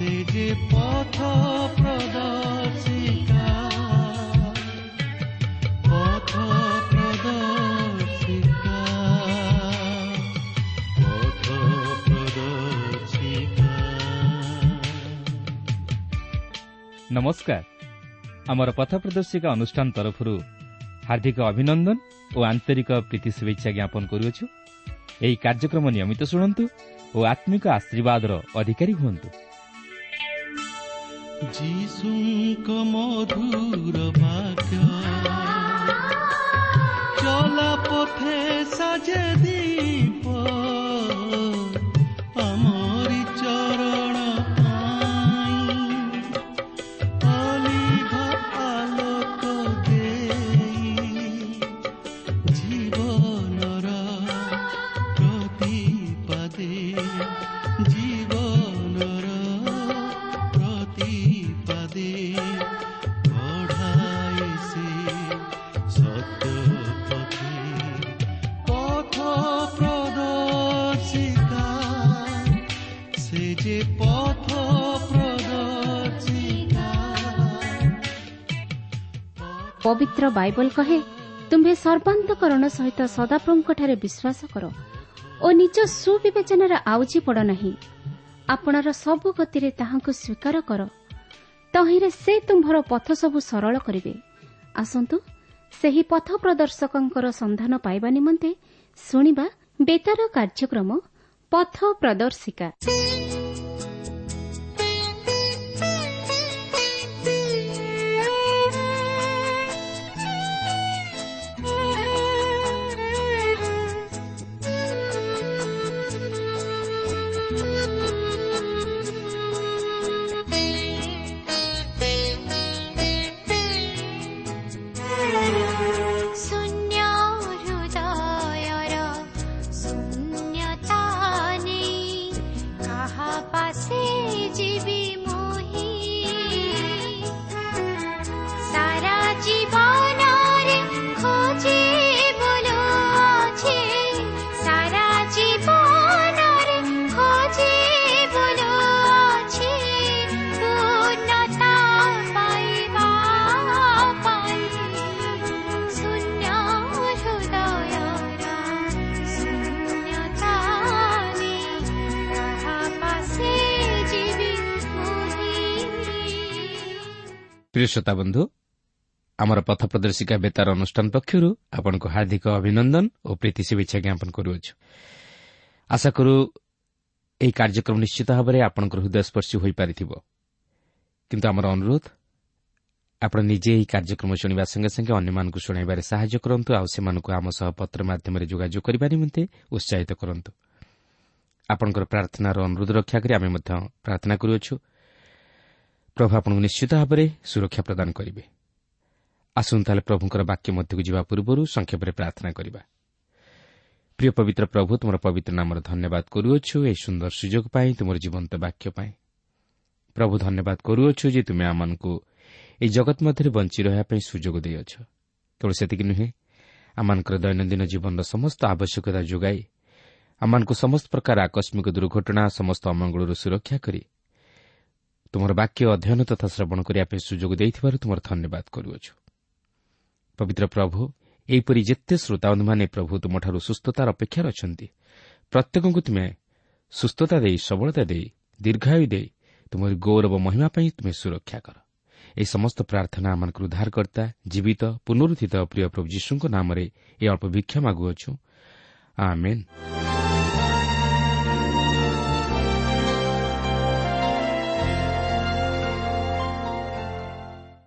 ସେ ଯେ ପଥ ପ୍ରଦର୍ଶିକା, ପଥ ପ୍ରଦର୍ଶିକା, ପଥ ପ୍ରଦର୍ଶିକା। ନମସ୍କାର। ଆମର ପଥ ପ୍ରଦର୍ଶିକା ଅନୁଷ୍ଠାନ ତରଫରୁ ହାର୍ଦ୍ଦିକ ଅଭିନନ୍ଦନ ଓ ଆନ୍ତରିକ ପ୍ରୀତି ଶୁଭେଚ୍ଛା ଜ୍ଞାପନ କରୁଅଛୁ। ଏହି କାର୍ଯ୍ୟକ୍ରମ ନିୟମିତ ଶୁଣନ୍ତୁ ଓ ଆତ୍ମିକ ଆଶୀର୍ବାଦର ଅଧିକାରୀ ହୁଅନ୍ତୁ। ଯୀଶୁଙ୍କ ମଧୁର ବାକ୍ୟ ଚଲା ପଥେ ସାଜେ ଦୀପ, ଆମରି ଚରଣ ପାଇଁ ଅଲିଭ ଆଲୋକ ଦେଇ, ଜୀବନର ପ୍ରତିପାଦେ, ଜୀବନର ପ୍ରତିପାଦେ କଢ଼ାଏ ସେ ସତ୍ୟ ପଥେ। ପଥ ପ୍ରଦର୍ଶିକା, ସେ ଯେ ପଥ ପ୍ରଦର୍ଶିକା। ପବିତ୍ର ବାଇବଲ କହେ, ତୁମ୍ଭେ ସର୍ବାନ୍ତକରଣ ସହିତ ସଦାପ୍ରଭୁଙ୍କଠାରେ ବିଶ୍ୱାସ କର ଓ ନିଜ ସୁବିବେଚନାରେ ଆଉଜି ପଡ଼ ନାହିଁ। ଆପଣାର ସବୁ ଗତିରେ ତାହାଙ୍କୁ ସ୍ୱୀକାର କର, ତହିଁରେ ସେ ତୁମ୍ଭର ପଥ ସବୁ ସରଳ କରିବେ। ଆସନ୍ତୁ ସେହି ପଥ ପ୍ରଦର୍ଶକଙ୍କର ସନ୍ଧାନ ପାଇବା ନିମନ୍ତେ ଶୁଣିବା ବେତାର କାର୍ଯ୍ୟକ୍ରମ ପଥ ପ୍ରଦର୍ଶିକା। ଶୂନ୍ୟ ହୃଦୟର ଶୂନ୍ୟତା ନେଇ କାହା ପାଶେ ଯିବି ମୁହିଁ? ସାରା ଜୀବନରେ ଖୋଜି ବୁଲୁଅଛି, ସାରା ଜୀବନରେ ଖୋଜି ବୁଲୁଅଛି ପୂର୍ଣ୍ଣତା ପାଇବା ପାଇଁ। ଶୂନ୍ୟ ହୃଦୟର ଶୂନ୍ୟତା ନେଇ କାହା ପାଶେ ଯିବି ମୁହିଁ? ପ୍ରିୟ ଶ୍ରୋତା ବନ୍ଧୁ, ଆମର ପଥ ପ୍ରଦର୍ଶିକା ବେତାର ଅନୁଷ୍ଠାନ ପକ୍ଷରୁ ଆପଣଙ୍କୁ ହାର୍ଦ୍ଦିକ ଅଭିନନ୍ଦନ ଓ ପ୍ରୀତି ଶୁଭେଚ୍ଛା ଜ୍ଞାପନ କରୁଅଛୁ। ଆଶା କରୁ ଏହି କାର୍ଯ୍ୟକ୍ରମ ନିଶ୍ଚିତ ଭାବରେ ଆପଣଙ୍କର ହୃଦୟସ୍ପର୍ଶୀ ହୋଇପାରିଥିବ। କିନ୍ତୁ ଆମର ଅନୁରୋଧ, ଆପଣ ନିଜେ ଏହି କାର୍ଯ୍ୟକ୍ରମ ଶୁଣିବା ସଙ୍ଗେ ସଙ୍ଗେ ଅନ୍ୟମାନଙ୍କୁ ଶୁଣାଇବାରେ ସାହାଯ୍ୟ କରନ୍ତୁ ଆଉ ସେମାନଙ୍କୁ ଆମ ସହ ପତ୍ର ମାଧ୍ୟମରେ ଯୋଗାଯୋଗ କରିବା ନିମନ୍ତେ ଉତ୍ସାହିତ କରନ୍ତୁ। ଆପଣଙ୍କର ପ୍ରାର୍ଥନାର ଅନୁରୋଧ ରକ୍ଷା କରି ଆମେ ମଧ୍ୟ ପ୍ରାର୍ଥନା କରୁଅଛୁ, ପ୍ରଭୁ ଆପଣଙ୍କୁ ନିଶ୍ଚିତ ଭାବରେ ସୁରକ୍ଷା ପ୍ରଦାନ କରିବେ। ଆସନ୍ତୁ ତାହେଲେ ପ୍ରଭୁଙ୍କର ବାକ୍ୟ ମଧ୍ୟକୁ ଯିବା ପୂର୍ବରୁ ସଂକ୍ଷେପରେ ପ୍ରାର୍ଥନା କରିବା। ପ୍ରିୟ ପବିତ୍ର ପ୍ରଭୁ, ତୁମର ପବିତ୍ର ନାମର ଧନ୍ୟବାଦ କରୁଅଛୁ ଏହି ସୁନ୍ଦର ସୁଯୋଗ ପାଇଁ, ତୁମର ଜୀବନ୍ତ ବାକ୍ୟ ପାଇଁ। ପ୍ରଭୁ, ଧନ୍ୟବାଦ କରୁଅଛୁ ଯେ ତୁମେ ଆମମାନଙ୍କୁ ଏହି ଜଗତ ମଧ୍ୟରେ ବଞ୍ଚି ରହିବା ପାଇଁ ସୁଯୋଗ ଦେଇଅଛ। କେବଳ ସେତିକି ନୁହେଁ, ଆମମାନଙ୍କର ଦୈନନ୍ଦିନ ଜୀବନର ସମସ୍ତ ଆବଶ୍ୟକତା ଯୋଗାଇ ଆମମାନଙ୍କୁ ସମସ୍ତ ପ୍ରକାର ଆକସ୍ମିକ ଦୁର୍ଘଟଣା, ସମସ୍ତ ଅମଙ୍ଗଳରୁ ସୁରକ୍ଷା କରି ତୁମର ବାକ୍ୟ ଅଧ୍ୟୟନ ତଥା ଶ୍ରବଣ କରିବା ପାଇଁ ସୁଯୋଗ ଦେଇଥିବାରୁ ତୁମର ଧନ୍ୟବାଦ କରୁଅଛୁ। ପବିତ୍ର ପ୍ରଭୁ, ଏହିପରି ଯେତେ ଶ୍ରୋତାବନ୍ଧୁମାନେ ପ୍ରଭୁ ତୁମଠାରୁ ସୁସ୍ଥତାର ଅପେକ୍ଷାରେ ଅଛନ୍ତି, ପ୍ରତ୍ୟେକଙ୍କୁ ତୁମେ ସୁସ୍ଥତା ଦେଇ, ସବଳତା ଦେଇ, ଦୀର୍ଘାୟୁ ଦେଇ ତୁମର ଗୌରବ ମହିମା ପାଇଁ ତୁମେ ସୁରକ୍ଷା କର। ଏହି ସମସ୍ତ ପ୍ରାର୍ଥନା ଆମମାନଙ୍କର ଉଦ୍ଧାରକର୍ତ୍ତା, ଜୀବିତ, ପୁନରୁତ୍ଥିତ ପ୍ରିୟ ପ୍ରଭୁ ଯୀଶୁଙ୍କ ନାମରେ ଏହି ଅଳ୍ପ ଭିକ୍ଷା ମାଗୁଅଛୁ, ଆମେନ୍।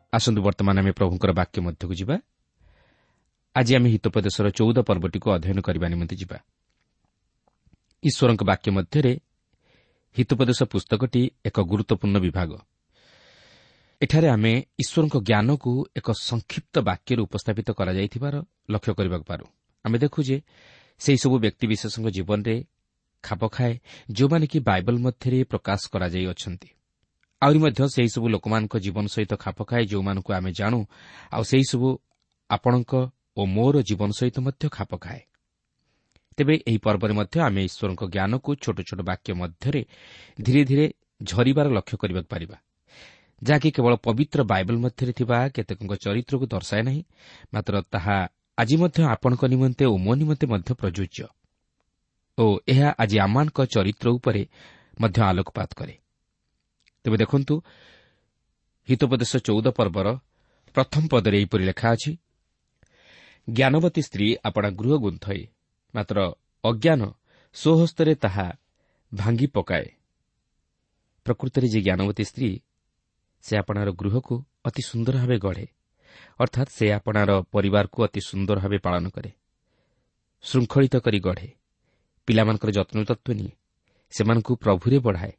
ଆସନ୍ତୁ ବର୍ତ୍ତମାନ ଆମେ ପ୍ରଭୁଙ୍କର ବାକ୍ୟ ମଧ୍ୟକୁ ଯିବା। ଆଜି ଆମେ ହିତୋପଦେଶର 14 ପର୍ବଟିକୁ ଅଧ୍ୟୟନ କରିବା ନିମନ୍ତେ ଯିବା। ଈଶ୍ୱରଙ୍କ ବାକ୍ୟ ମଧ୍ୟରେ ହିତୋପଦେଶ ପୁସ୍ତକଟି ଏକ ଗୁରୁତ୍ୱପୂର୍ଣ୍ଣ ବିଭାଗ। ଏଠାରେ ଆମେ ଈଶ୍ୱରଙ୍କ ଜ୍ଞାନକୁ ଏକ ସଂକ୍ଷିପ୍ତ ବାକ୍ୟରେ ଉପସ୍ଥାପିତ କରାଯାଇଥିବାର ଲକ୍ଷ୍ୟ କରିବାକୁ ପାରୁ। ଆମେ ଦେଖୁ ଯେ ସେହିସବୁ ବ୍ୟକ୍ତିବିଶେଷଙ୍କ ଜୀବନରେ ଖାପ ଖାଏ ଯେଉଁମାନେ କି ବାଇବଲ ମଧ୍ୟରେ ପ୍ରକାଶ କରାଯାଇଅଛନ୍ତି। ଆହୁରି ମଧ୍ୟ ସେହିସବୁ ଲୋକମାନଙ୍କ ଜୀବନ ସହିତ ଖାପ ଖାଏ ଯେଉଁମାନଙ୍କୁ ଆମେ ଜାଣୁ, ଆଉ ସେହିସବୁ ଆପଣଙ୍କ ଓ ମୋର ଜୀବନ ସହିତ ମଧ୍ୟ ଖାପ ଖାଏ। ତେବେ ଏହି ପର୍ବରେ ମଧ୍ୟ ଆମେ ଈଶ୍ୱରଙ୍କ ଜ୍ଞାନକୁ ଛୋଟ ଛୋଟ ବାକ୍ୟ ମଧ୍ୟରେ ଧୀରେ ଧୀରେ ଝରିବାର ଲକ୍ଷ୍ୟ କରିବାକୁ ପାରିବା, ଯାହାକି କେବଳ ପବିତ୍ର ବାଇବଲ ମଧ୍ୟରେ ଥିବା କେତେକଙ୍କ ଚରିତ୍ରକୁ ଦର୍ଶାଏ ନାହିଁ, ମାତ୍ର ତାହା ଆଜି ମଧ୍ୟ ଆପଣଙ୍କ ନିମନ୍ତେ ଓ ମୋ ନିମନ୍ତେ ମଧ୍ୟ ପ୍ରଯୁଜ୍ୟ ଓ ଏହା ଆଜି ଆମମାନଙ୍କ ଚରିତ୍ର ଉପରେ ମଧ୍ୟ ଆଲୋକପାତ କରେ। ତେବେ ଦେଖନ୍ତୁ, ହିତୋପଦେଶ 14 ପର୍ବର ପ୍ରଥମ ପଦରେ ଏହିପରି ଲେଖା ଅଛି, ଜ୍ଞାନବତୀ ସ୍ତ୍ରୀ ଆପଣା ଗୃହ ଗୁନ୍ଥଇ, ମାତ୍ର ଅଜ୍ଞାନ ସ୍ୱହସ୍ତରେ ତାହା ଭାଙ୍ଗି ପକାଏ। ପ୍ରକୃତରେ ଯେ ଜ୍ଞାନବତୀ ସ୍ତ୍ରୀ, ସେ ଆପଣାର ଗୃହକୁ ଅତି ସୁନ୍ଦର ଭାବେ ଗଢ଼େ, ଅର୍ଥାତ୍ ସେ ଆପଣାର ପରିବାରକୁ ଅତି ସୁନ୍ଦର ଭାବେ ପାଳନ କରେ, ଶୃଙ୍ଖଳିତ କରି ଗଢ଼େ, ପିଲାମାନଙ୍କର ଯତ୍ନତତ୍ତ୍ୱ ନିଏ, ସେମାନଙ୍କୁ ପ୍ରଭୁରେ ବଢ଼ାଏ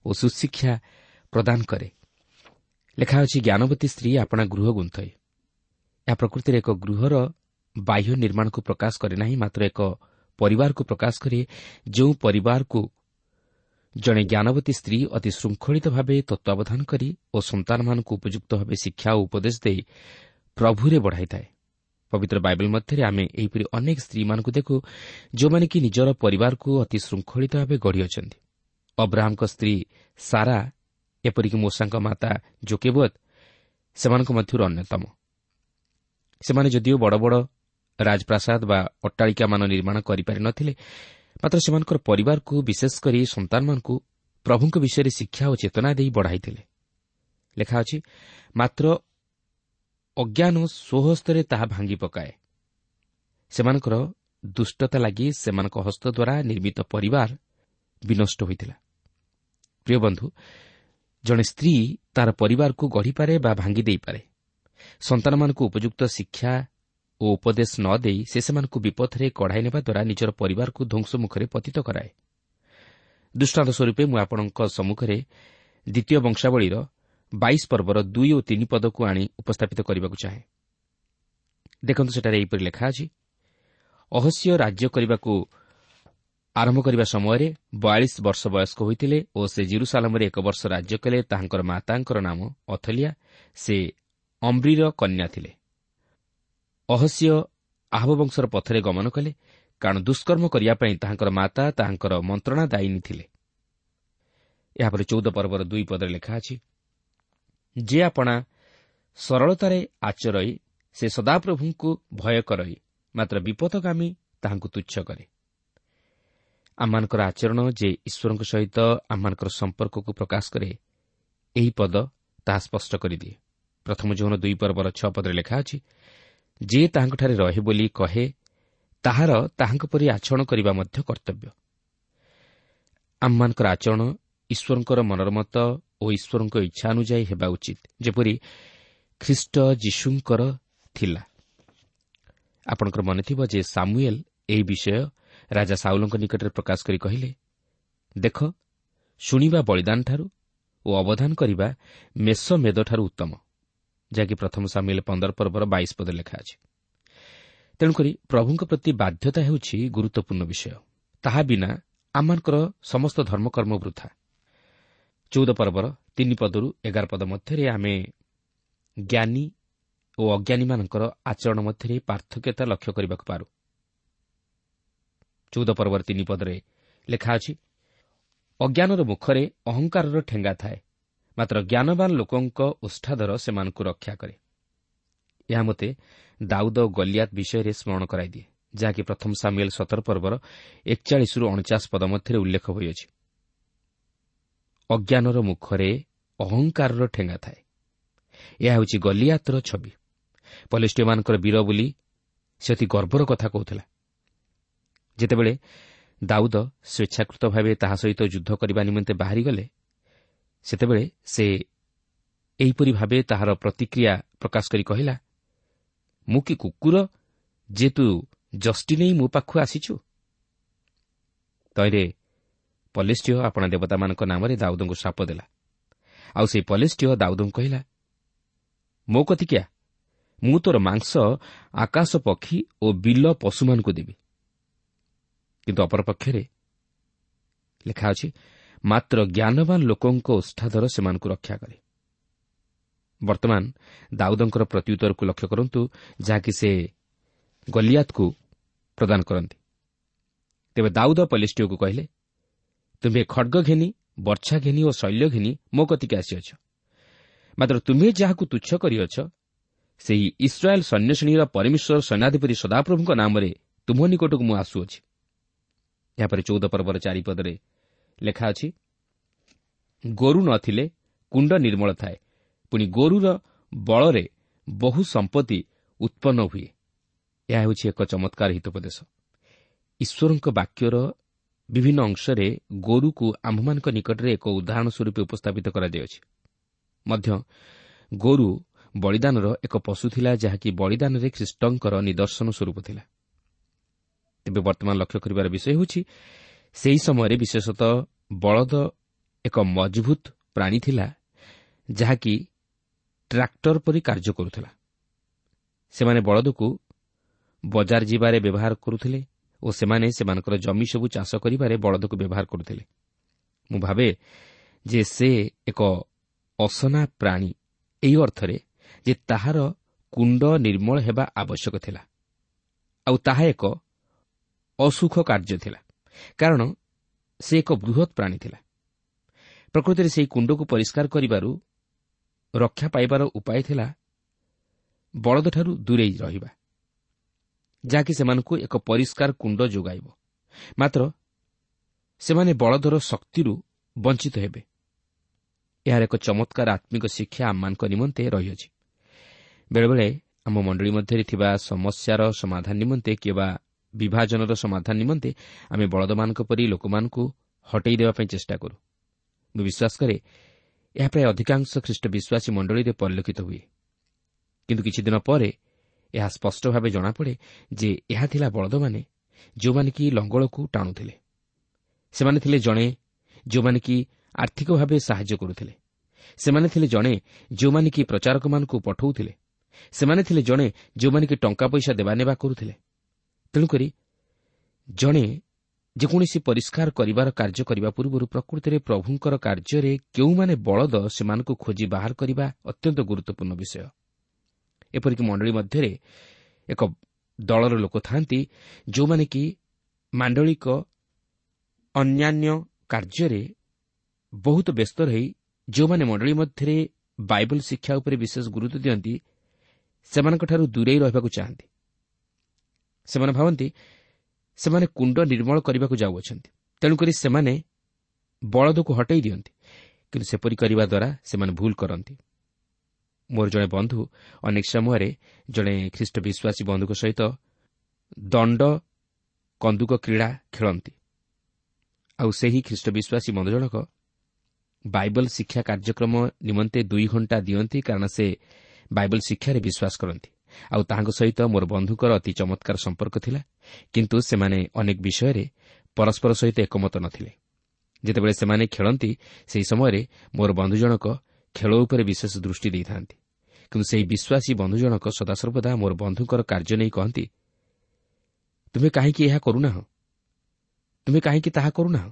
ଓ ସୁଶିକ୍ଷା ପ୍ରଦାନ କରେ। ଲେଖା ଅଛି, ଜ୍ଞାନବତୀ ସ୍ତ୍ରୀ ଆପଣା ଗୃହ ଗୁନ୍ଥଇ। ଏହା ପ୍ରକୃତିରେ ଏକ ଗୃହର ବାହ୍ୟ ନିର୍ମାଣକୁ ପ୍ରକାଶ କରେ ନାହିଁ, ମାତ୍ର ଏକ ପରିବାରକୁ ପ୍ରକାଶ କରେ, ଯେଉଁ ପରିବାରକୁ ଜଣେ ଜ୍ଞାନବତୀ ସ୍ତ୍ରୀ ଅତି ଶୃଙ୍ଖଳିତ ଭାବେ ତତ୍ତ୍ୱାବଧାନ କରି ଓ ସନ୍ତାନମାନଙ୍କୁ ଉପଯୁକ୍ତ ଭାବେ ଶିକ୍ଷା ଓ ଉପଦେଶ ଦେଇ ପ୍ରଭୁରେ ବଢ଼ାଇଥାଏ। ପବିତ୍ର ବାଇବଲ ମଧ୍ୟରେ ଆମେ ଏହିପରି ଅନେକ ସ୍ତ୍ରୀମାନଙ୍କୁ ଦେଖୁ, ଯେଉଁମାନେ କି ନିଜର ପରିବାରକୁ ଅତି ଶୃଙ୍ଖଳିତ ଭାବେ ଗଢ଼ିଅଛନ୍ତି। ଅବ୍ରାହମଙ୍କ ସ୍ତ୍ରୀ ସାରା, ଏପରିକି ମୋଶାଙ୍କ ମାତା ଜୋକେବତ ସେମାନଙ୍କ ମଧ୍ୟରୁ ଅନ୍ୟତମ। ସେମାନେ ଯଦିଓ ବଡ଼ ବଡ଼ ରାଜପ୍ରାସାଦ ବା ଅଟ୍ଟାଳିକାମାନ ନିର୍ମାଣ କରିପାରିନଥିଲେ, ମାତ୍ର ସେମାନଙ୍କର ପରିବାରକୁ, ବିଶେଷ କରି ସନ୍ତାନମାନଙ୍କୁ ପ୍ରଭୁଙ୍କ ବିଷୟରେ ଶିକ୍ଷା ଓ ଚେତନା ଦେଇ ବଢ଼ାଇଥିଲେ। ଲେଖା ଅଛି, ମାତ୍ର ଅଜ୍ଞାନ ସ୍ୱହସ୍ତରେ ତାହା ଭାଙ୍ଗି ପକାଏ। ସେମାନଙ୍କର ଦୁଷ୍ଟତା ଲାଗି ସେମାନଙ୍କ ହସ୍ତ ଦ୍ୱାରା ନିର୍ମିତ ପରିବାର ବିନଷ୍ଟ ହୋଇଥିଲା। ପ୍ରିୟ ବନ୍ଧୁ, ଜଣେ ସ୍ତ୍ରୀ ତାର ପରିବାରକୁ ଗଢ଼ିପାରେ ବା ଭାଙ୍ଗି ଦେଇପାରେ। ସନ୍ତାନମାନଙ୍କୁ ଉପଯୁକ୍ତ ଶିକ୍ଷା ଓ ଉପଦେଶ ନ ଦେଇ ସେ ସେମାନଙ୍କୁ ବିପଥରେ କଢ଼ାଇ ନେବା ଦ୍ୱାରା ନିଜର ପରିବାରକୁ ଧ୍ୱଂସ ମୁଖରେ ପତିତ କରାଏ। ଦୃଷ୍ଟାନ୍ତ ସ୍ୱରୂପେ ମୁଁ ଆପଣଙ୍କ ସମ୍ମୁଖରେ ଦ୍ୱିତୀୟ ବଂଶାବଳୀର 22 ପର୍ବର 2 ଓ 3 ପଦକୁ ଆଣି ଉପସ୍ଥାପିତ କରିବାକୁ ଚାହେଁ। ଦେଖନ୍ତୁ, ସେଠାରେ ଏହିପରି ଲେଖା ଅଛି, ଅହସ୍ୟ ରାଜ୍ୟ କରିବାକୁ ଆରମ୍ଭ କରିବା ସମୟରେ 42 ବର୍ଷ ବୟସ୍କ ହୋଇଥିଲେ ଓ ସେ ଜିରୁସାଲାମରେ 1 ବର୍ଷ ରାଜ୍ୟ କଲେ। ତାହାଙ୍କର ମାତାଙ୍କର ନାମ ଅଥଲିଆ, ସେ ଅମ୍ରିର କନ୍ୟା ଥିଲେ। ଅହସ୍ୟ ଆହବ ବଂଶର ପଥରେ ଗମନ କଲେ, କାରଣ ଦୁଷ୍କର୍ମ କରିବା ପାଇଁ ତାହାଙ୍କର ମାତା ତାହାଙ୍କର ମନ୍ତ୍ରଣା ଦାୟିନୀ ଥିଲେ। ଏହାପରେ 14 ପର୍ବର 2 ପଦରେ ଲେଖା ଅଛି, ଯେ ଆପଣା ସରଳତାରେ ଆଚରଇ ସେ ସଦାପ୍ରଭୁଙ୍କୁ ଭୟ କରଇ, ମାତ୍ର ବିପଦଗାମୀ ତାହାଙ୍କୁ ତୁଚ୍ଛ କରେ। ଆମମାନଙ୍କର ଆଚରଣ ଯେ ଈଶ୍ୱରଙ୍କ ସହିତ ଆମମାନଙ୍କର ସମ୍ପର୍କକୁ ପ୍ରକାଶ କରେ, ଏହି ପଦ ତାହା ସ୍ପଷ୍ଟ କରିଦିଏ। ପ୍ରଥମ ଯୋହନ 2 ପର୍ବର 6 ପଦରେ ଲେଖା ଅଛି, ଯିଏ ତାହାଙ୍କଠାରେ ରହେ ବୋଲି କହେ, ତାହାର ତାହାଙ୍କ ପରି ଆଚରଣ କରିବା ମଧ୍ୟ କର୍ତ୍ତବ୍ୟ। ଆମମାନଙ୍କର ଆଚରଣ ଈଶ୍ୱରଙ୍କର ମନୋରମତ ଓ ଈଶ୍ୱରଙ୍କ ଇଚ୍ଛା ଅନୁଯାୟୀ ହେବା ଉଚିତ, ଯେପରି ଖ୍ରୀଷ୍ଟ ଯୀଶୁଙ୍କର ଥିଲା। ଆପଣଙ୍କର ମନେଥିବ ଯେ ସାମୁଏଲ ଏହି ବିଷୟ ରାଜା ସାଉଲଙ୍କ ନିକଟରେ ପ୍ରକାଶ କରି କହିଲେ, ଦେଖ, ଶୁଣିବା ବଳିଦାନଠାରୁ ଓ ଅବଧାନ କରିବା ମେଷ ମେଦଠାରୁ ଉତ୍ତମ, ଯାହାକି ପ୍ରଥମ ସାମୁଏଲ 15 ପର୍ବର 22 ପଦରେ ଲେଖା ଅଛି। ତେଣୁକରି ପ୍ରଭୁଙ୍କ ପ୍ରତି ବାଧ୍ୟତା ହେଉଛି ଗୁରୁତ୍ୱପୂର୍ଣ୍ଣ ବିଷୟ। ତାହା ବିନା ଆମମାନଙ୍କର ସମସ୍ତ ଧର୍ମକର୍ମ ବୃଥା। 14 ପର୍ବର 3 ପଦରୁ 11 ପଦ ମଧ୍ୟରେ ଆମେ ଜ୍ଞାନୀ ଓ ଅଜ୍ଞାନୀମାନଙ୍କର ଆଚରଣ ମଧ୍ୟରେ ପାର୍ଥକ୍ୟତା ଲକ୍ଷ୍ୟ କରିବାକୁ ପାରୁ। 14 ପର୍ବର 3 ପଦରେ ଲେଖା ଅଛି, ଅଜ୍ଞାନର ମୁଖରେ ଅହଙ୍କାରର ଠେଙ୍ଗା ଥାଏ, ମାତ୍ର ଜ୍ଞାନବାନ ଲୋକଙ୍କ ଓଷ୍ଠାଧର ସେମାନଙ୍କୁ ରକ୍ଷା କରେ। ଏହା ମୋତେ ଦାଉଦ ଗଲିଆତ ବିଷୟରେ ସ୍ମରଣ କରାଇଦିଏ, ଯାହାକି ପ୍ରଥମ ସାମୁଏଲ 17 ପର୍ବର 41ରୁ 49 ପଦ ମଧ୍ୟରେ ଉଲ୍ଲେଖ ହୋଇଅଛି। ଅଜ୍ଞାନର ମୁଖରେ ଅହଙ୍କାରର ଠେଙ୍ଗା ଥାଏ। ଏହା ହେଉଛି ଗଲିଆତର ଛବି। ପଲେଷ୍ଟୀୟମାନଙ୍କର ବୀର ବୋଲି ସେ ଅତି ଗର୍ବର କଥା କହୁଥିଲା। ଯେତେବେଳେ ଦାଉଦ ସ୍ୱେଚ୍ଛାକୃତ ଭାବେ ତାହା ସହିତ ଯୁଦ୍ଧ କରିବା ନିମନ୍ତେ ବାହାରିଗଲେ, ସେତେବେଳେ ସେ ଏହିପରି ଭାବେ ତାହାର ପ୍ରତିକ୍ରିୟା ପ୍ରକାଶ କରି କହିଲା, ମୁଁ କି କୁକୁର ଯେ ତୁ ଯଷ୍ଟି ନେଇ ମୋ ପାଖକୁ ଆସିଛୁ? ତହିଁରେ ପଲେଷ୍ଟୀୟ ଆପଣା ଦେବତାମାନଙ୍କ ନାମରେ ଦାଉଦଙ୍କୁ ଶାପ ଦେଲା। ଆଉ ସେହି ପଲେଷ୍ଟୀୟ ଦାଉଦଙ୍କୁ କହିଲା, ମୋ କତିକିଆ, ମୁଁ ତୋର ମାଂସ ଆକାଶ ପକ୍ଷୀ ଓ ବିଲ ପଶୁମାନଙ୍କୁ ଦେବି। କିନ୍ତୁ ଅପରପକ୍ଷରେ ଲେଖା ଅଛି, ମାତ୍ର ଜ୍ଞାନବାନ ଲୋକଙ୍କ ଓଷ୍ଠାଧର ସେମାନଙ୍କୁ ରକ୍ଷା କରେ। ବର୍ତ୍ତମାନ ଦାଉଦଙ୍କର ପ୍ରତ୍ୟୁତ୍ତରକୁ ଲକ୍ଷ୍ୟ କରନ୍ତୁ, ଯାହାକି ସେ ଗଲିଆତକୁ ପ୍ରଦାନ କରନ୍ତି। ତେବେ ଦାଉଦ ପଲେଷ୍ଟୀୟକୁ କହିଲେ, ତୁମ୍ଭେ ଖଡ଼ଗ ଘେନି ବର୍ଚ୍ଛା ଘେନି ଓ ଶୈଲ୍ୟ ଘେନି ମୋ କତିକି ଆସିଅଛ? ମାତ୍ର ତୁମ୍ଭେ ଯାହାକୁ ତୁଚ୍ଛ କରିଅଛ, ସେହି ଇସ୍ରାଏଲ୍ ସୈନ୍ୟଶ୍ରେଣୀର ପରମେଶ୍ୱର ସୈନ୍ୟାଧିପତି ସଦାପ୍ରଭୁଙ୍କ ନାମରେ ତୁମ୍ଭ ନିକଟକୁ ମୁଁ ଆସୁଅଛି। ଏହାପରେ 14 ପର୍ବର 4 ପଦରେ ଲେଖା ଅଛି, ଗୋରୁ ନଥିଲେ କୁଣ୍ଡ ନିର୍ମଳ ଥାଏ, ପୁଣି ଗୋରୁର ବଳରେ ବହୁ ସମ୍ପତ୍ତି ଉତ୍ପନ୍ନ ହୁଏ। ଏହା ହେଉଛି ଏକ ଚମତ୍କାର ହିତୋପଦେଶ। ଈଶ୍ୱରଙ୍କ ବାକ୍ୟର ବିଭିନ୍ନ ଅଂଶରେ ଗୋରୁକୁ ଆମ୍ଭମାନଙ୍କ ନିକଟରେ ଏକ ଉଦାହରଣ ସ୍ୱରୂପ ଉପସ୍ଥାପିତ କରାଯାଇଅଛି। ମଧ୍ୟ ଗୋରୁ ବଳିଦାନର ଏକ ପଶୁ ଥିଲା, ଯାହାକି ବଳିଦାନରେ ଖ୍ରୀଷ୍ଟଙ୍କର ନିଦର୍ଶନ ସ୍ୱରୂପ ଥିଲା। ତେବେ ବର୍ତ୍ତମାନ ଲକ୍ଷ୍ୟ କରିବାର ବିଷୟ ହେଉଛି, ସେହି ସମୟରେ ବିଶେଷତଃ ବଳଦ ଏକ ମଜବୁତ ପ୍ରାଣୀ ଥିଲା, ଯାହାକି ଟ୍ରାକ୍ଟର ପରି କାର୍ଯ୍ୟ କରୁଥିଲା। ସେମାନେ ବଳଦକୁ ବଜାର ଯିବାରେ ବ୍ୟବହାର କରୁଥିଲେ ଓ ସେମାନେ ସେମାନଙ୍କର ଜମି ସବୁ ଚାଷ କରିବାରେ ବଳଦକୁ ବ୍ୟବହାର କରୁଥିଲେ। ମୁଁ ଭାବେ ଯେ ସେ ଏକ ଅସନା ପ୍ରାଣୀ, ଏହି ଅର୍ଥରେ ଯେ ତାହାର କୁଣ୍ଡ ନିର୍ମଳ ହେବା ଆବଶ୍ୟକ ଥିଲା, ଆଉ ତାହା ଏକ ଅସୁଖ କାର୍ଯ୍ୟ ଥିଲା, କାରଣ ସେ ଏକ ବୃହତ୍ ପ୍ରାଣୀ ଥିଲା। ପ୍ରକୃତିରେ ସେହି କୁଣ୍ଡକୁ ପରିଷ୍କାର କରିବାରୁ ରକ୍ଷା ପାଇବାର ଉପାୟ ଥିଲା ବଳଦଠାରୁ ଦୂରେଇ ରହିବା, ଯାହାକି ସେମାନଙ୍କୁ ଏକ ପରିଷ୍କାର କୁଣ୍ଡ ଯୋଗାଇବ। ମାତ୍ର ସେମାନେ ବଳଦର ଶକ୍ତିରୁ ବଞ୍ଚିତ ହେବେ। ଏହାର ଏକ ଚମତ୍କାର ଆତ୍ମିକ ଶିକ୍ଷା ଆମମାନଙ୍କ ନିମନ୍ତେ ରହିଅଛି। ବେଳେବେଳେ ଆମ ମଣ୍ଡଳୀ ମଧ୍ୟରେ ଥିବା ସମସ୍ୟାର ସମାଧାନ ନିମନ୍ତେ କିମ୍ବା ବିଭାଜନର ସମାଧାନ ନିମନ୍ତେ ଆମେ ବଳଦମାନଙ୍କ ପରି ଲୋକମାନଙ୍କୁ ହଟେଇ ଦେବା ପାଇଁ ଚେଷ୍ଟା କରୁ। ମୁଁ ବିଶ୍ୱାସ କରେ ଏହା ପ୍ରାୟ ଅଧିକାଂଶ ଖ୍ରୀଷ୍ଟ ବିଶ୍ୱାସୀ ମଣ୍ଡଳୀରେ ପରିଲକ୍ଷିତ ହୁଏ। କିନ୍ତୁ କିଛି ଦିନ ପରେ ଏହା ସ୍ପଷ୍ଟ ଭାବେ ଜଣାପଡ଼େ ଯେ ଏହା ଥିଲା ବଳଦମାନେ, ଯେଉଁମାନେ କି ଲଙ୍ଗଳକୁ ଟାଣୁଥିଲେ। ସେମାନେ ଥିଲେ ଜଣେ ଯେଉଁମାନେ କି ଆର୍ଥିକ ଭାବେ ସାହାଯ୍ୟ କରୁଥିଲେ। ସେମାନେ ଥିଲେ ଜଣେ ଯେଉଁମାନେ କି ପ୍ରଚାରକମାନଙ୍କୁ ପଠାଉଥିଲେ। ସେମାନେ ଥିଲେ ଜଣେ ଯେଉଁମାନେ କି ଟଙ୍କା ପଇସା ଦେବା ନେବା କରୁଥିଲେ। ତେଣୁକରି ଜଣେ ଯେକୌଣସି ପରିଷ୍କାର କରିବାର କାର୍ଯ୍ୟ କରିବା ପୂର୍ବରୁ ପ୍ରକୃତିରେ ପ୍ରଭୁଙ୍କର କାର୍ଯ୍ୟରେ କେଉଁମାନେ ବଳଦ ସେମାନଙ୍କୁ ଖୋଜି ବାହାର କରିବା ଅତ୍ୟନ୍ତ ଗୁରୁତ୍ୱପୂର୍ଣ୍ଣ ବିଷୟ। ଏପରିକି ମଣ୍ଡଳୀ ମଧ୍ୟରେ ଏକ ଦଳର ଲୋକ ଥାନ୍ତି, ଯେଉଁମାନେ କି ମାଣ୍ଡଳିକ ଅନ୍ୟାନ୍ୟ କାର୍ଯ୍ୟରେ ବହୁତ ବ୍ୟସ୍ତ ରହି ଯେଉଁମାନେ ମଣ୍ଡଳୀ ମଧ୍ୟରେ ବାଇବଲ ଶିକ୍ଷା ଉପରେ ବିଶେଷ ଗୁରୁତ୍ୱ ଦିଅନ୍ତି ସେମାନଙ୍କଠାରୁ ଦୂରେଇ ରହିବାକୁ ଚାହାନ୍ତି। ସେମାନେ ଭାବନ୍ତି ସେମାନେ କୁଣ୍ଡ ନିର୍ମଳ କରିବାକୁ ଯାଉଅଛନ୍ତି, ତେଣୁକରି ସେମାନେ ବଳଦକୁ ହଟେଇ ଦିଅନ୍ତି। କିନ୍ତୁ ସେପରି କରିବା ଦ୍ୱାରା ସେମାନେ ଭୁଲ କରନ୍ତି। ମୋର ଜଣେ ବନ୍ଧୁ ଅନେକ ସମୟରେ ଜଣେ ଖ୍ରୀଷ୍ଟ ବିଶ୍ୱାସୀ ବନ୍ଧୁଙ୍କ ସହିତ ଦଣ୍ଡ କନ୍ଦୁକ କ୍ରୀଡ଼ା ଖେଳନ୍ତି। ଆଉ ସେହି ଖ୍ରୀଷ୍ଟ ବିଶ୍ୱାସୀ ବନ୍ଧୁ ଜଣକ ବାଇବଲ ଶିକ୍ଷା କାର୍ଯ୍ୟକ୍ରମ ନିମନ୍ତେ 2 ଘଣ୍ଟା ଦିଅନ୍ତି, କାରଣ ସେ ବାଇବଲ ଶିକ୍ଷାରେ ବିଶ୍ୱାସ କରନ୍ତି। ଆଉ ତାହାଙ୍କ ସହିତ ମୋର ବନ୍ଧୁଙ୍କର ଅତି ଚମତ୍କାର ସମ୍ପର୍କ ଥିଲା, କିନ୍ତୁ ସେମାନେ ଅନେକ ବିଷୟରେ ପରସ୍ପର ସହିତ ଏକମତ ନଥିଲେ। ଯେତେବେଳେ ସେମାନେ ଖେଳନ୍ତି ସେହି ସମୟରେ ମୋର ବନ୍ଧୁ ଜଣକ ଖେଳ ଉପରେ ବିଶେଷ ଦୃଷ୍ଟି ଦେଇଥାନ୍ତି, କିନ୍ତୁ ସେହି ବିଶ୍ୱାସୀ ବନ୍ଧୁ ଜଣକ ସଦାସର୍ବଦା ମୋର ବନ୍ଧୁଙ୍କର କାର୍ଯ୍ୟ ନେଇ କହନ୍ତି, ତୁମେ କାହିଁକି ଏହା କରୁନାହଁ, ତୁମେ କାହିଁକି ତାହା କରୁନାହଁ।